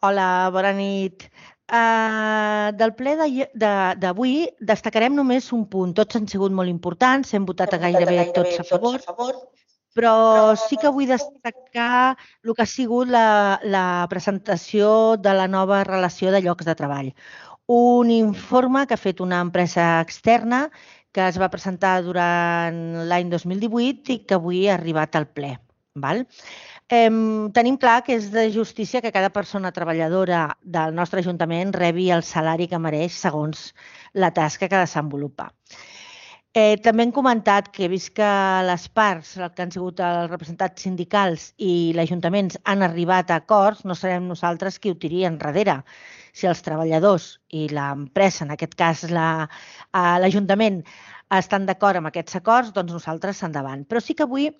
Hola, bona nit. Del ple d'avui destacarem només un punt. Tots han sigut molt importants, hem votat Hem votat a gairebé gairebé tots a tots a favor, favor, però però sí que vull destacar el que ha sigut la presentació de la nova relació de llocs de treball. Un informe que ha fet una empresa externa que es va presentar durant l'any 2018 i que avui ha arribat al ple. Val? Tenim clar que és de justícia que cada persona treballadora del nostre Ajuntament rebi el salari que mereix segons la tasca que desenvolupa. També hem comentat que, vist que les parts, el que han sigut els representats sindicals i l'Ajuntament han arribat a acords, no serem nosaltres qui ho tiri enrere. Si els treballadors i l'empresa, en aquest cas l'Ajuntament, estan d'acord amb aquests acords, doncs nosaltres endavant. Però sí que vull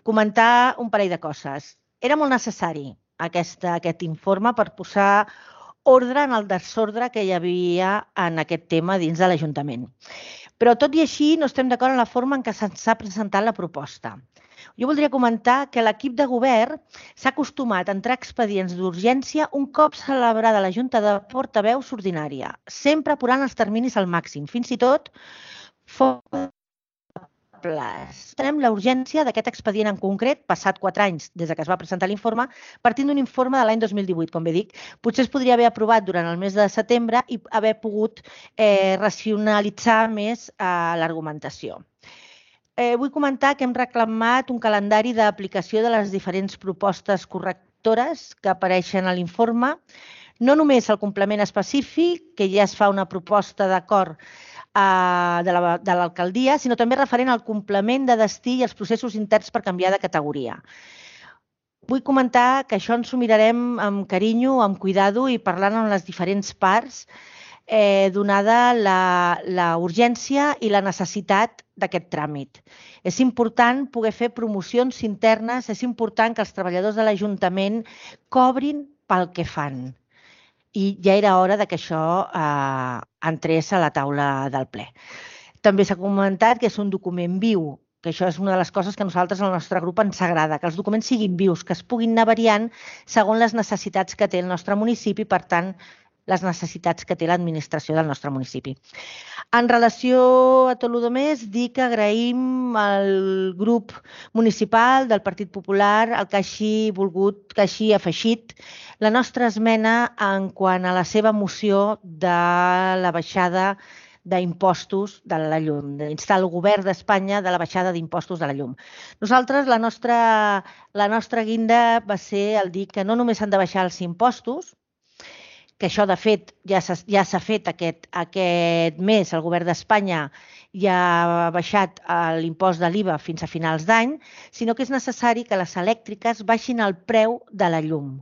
comentar un parell de coses. Era molt necessari aquest informe per posar ordre en el desordre que hi havia en aquest tema dins de l'Ajuntament. Però tot i així no estem d'acord en la forma en què s'ha presentat la proposta. Jo voldria comentar que l'equip de govern s'ha acostumat a entrar expedients d'urgència un cop celebrada la Junta de Portaveus ordinària, sempre apurant els terminis al màxim, fins i tot fora tenem la urgència d'aquest expedient en concret, passat 4 anys des que es va presentar l'informe, partint d'un informe de l'any 2018, com bé dic. Potser es podria haver aprovat durant el mes de setembre i haver pogut racionalitzar més l'argumentació. Vull comentar que hem reclamat un calendari d'aplicació de les diferents propostes correctores que apareixen a l'informe, no només el complement específic, que ja es fa una proposta d'acord de l'alcaldia, sinó també referent al complement de destí i els processos interns per canviar de categoria. Vull comentar que això ens ho mirarem amb carinyo, amb cuidado i parlant amb les diferents parts, donada la urgència i la necessitat d'aquest tràmit. És important poder fer promocions internes, és important que els treballadors de l'Ajuntament cobrin pel que fan. I ja era hora que això entrés a la taula del ple. També s'ha comentat que és un document viu, que això és una de les coses que a nosaltres, al nostre grup, ens agrada, que els documents siguin vius, que es puguin anar variant segons les necessitats que té el nostre municipi, per tant, les necessitats que té l'administració del nostre municipi. En relació a tot el més, dir que agraïm al grup municipal del Partit Popular el que hagi volgut, que hagi afegit la nostra esmena en quant a la seva moció de la baixada d'impostos de la llum, d'instar el govern d'Espanya de la baixada d'impostos de la llum. Nosaltres, la nostra guinda va ser el dir que no només s'han de baixar els impostos, que això, de fet, ja s'ha fet aquest mes. El govern d'Espanya ja ha baixat l'impost de l'IVA fins a finals d'any, sinó que és necessari que les elèctriques baixin el preu de la llum.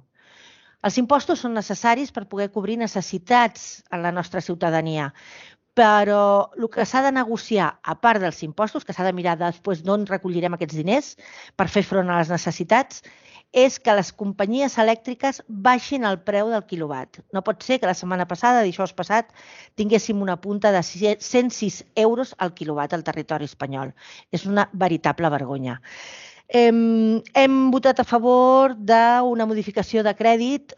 Els impostos són necessaris per poder cobrir necessitats en la nostra ciutadania, però el que s'ha de negociar, a part dels impostos, que s'ha de mirar després d'on recollirem aquests diners per fer front a les necessitats, és que les companyies elèctriques baixin el preu del quilowatt. No pot ser que la setmana passada, dijous passat, tinguéssim una punta de 106 euros al quilowatt al territori espanyol. És una veritable vergonya. Hem votat a favor d'una modificació de crèdit,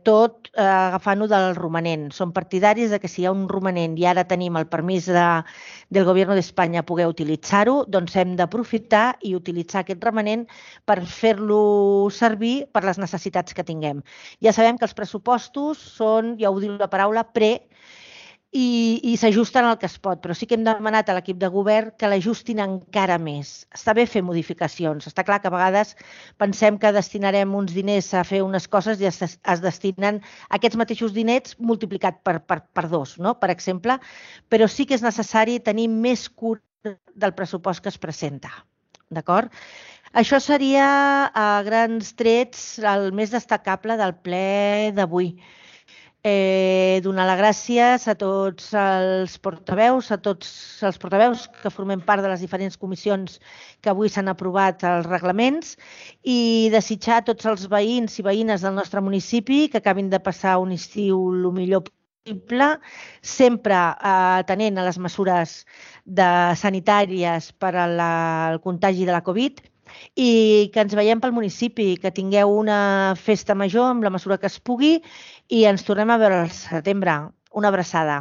tot agafant-ho del romanent. Som partidaris de que si hi ha un romanent i ara tenim el permís del Govern d'Espanya poder utilitzar-ho, doncs hem d'aprofitar i utilitzar aquest romanent per fer-lo servir per les necessitats que tinguem. Ja sabem que els pressupostos són, ja ho diu la paraula, i s'ajusten al que es pot, però sí que hem demanat a l'equip de govern que l'ajustin encara més. Està bé fer modificacions. Està clar que a vegades pensem que destinarem uns diners a fer unes coses i es destinen aquests mateixos diners multiplicat per dos, no? Per exemple, però sí que és necessari tenir més cura del pressupost que es presenta. D'acord? Això seria, a grans trets, el més destacable del ple d'avui. Donar les gràcies a tots els portaveus que formem part de les diferents comissions que avui s'han aprovat els reglaments i desitjar a tots els veïns i veïnes del nostre municipi que acabin de passar un estiu el millor possible, sempre atenent a les mesures sanitàries per al contagi de la Covid i que ens veiem pel municipi, que tingueu una festa major amb la mesura que es pugui i ens tornem a veure al setembre. Una abraçada.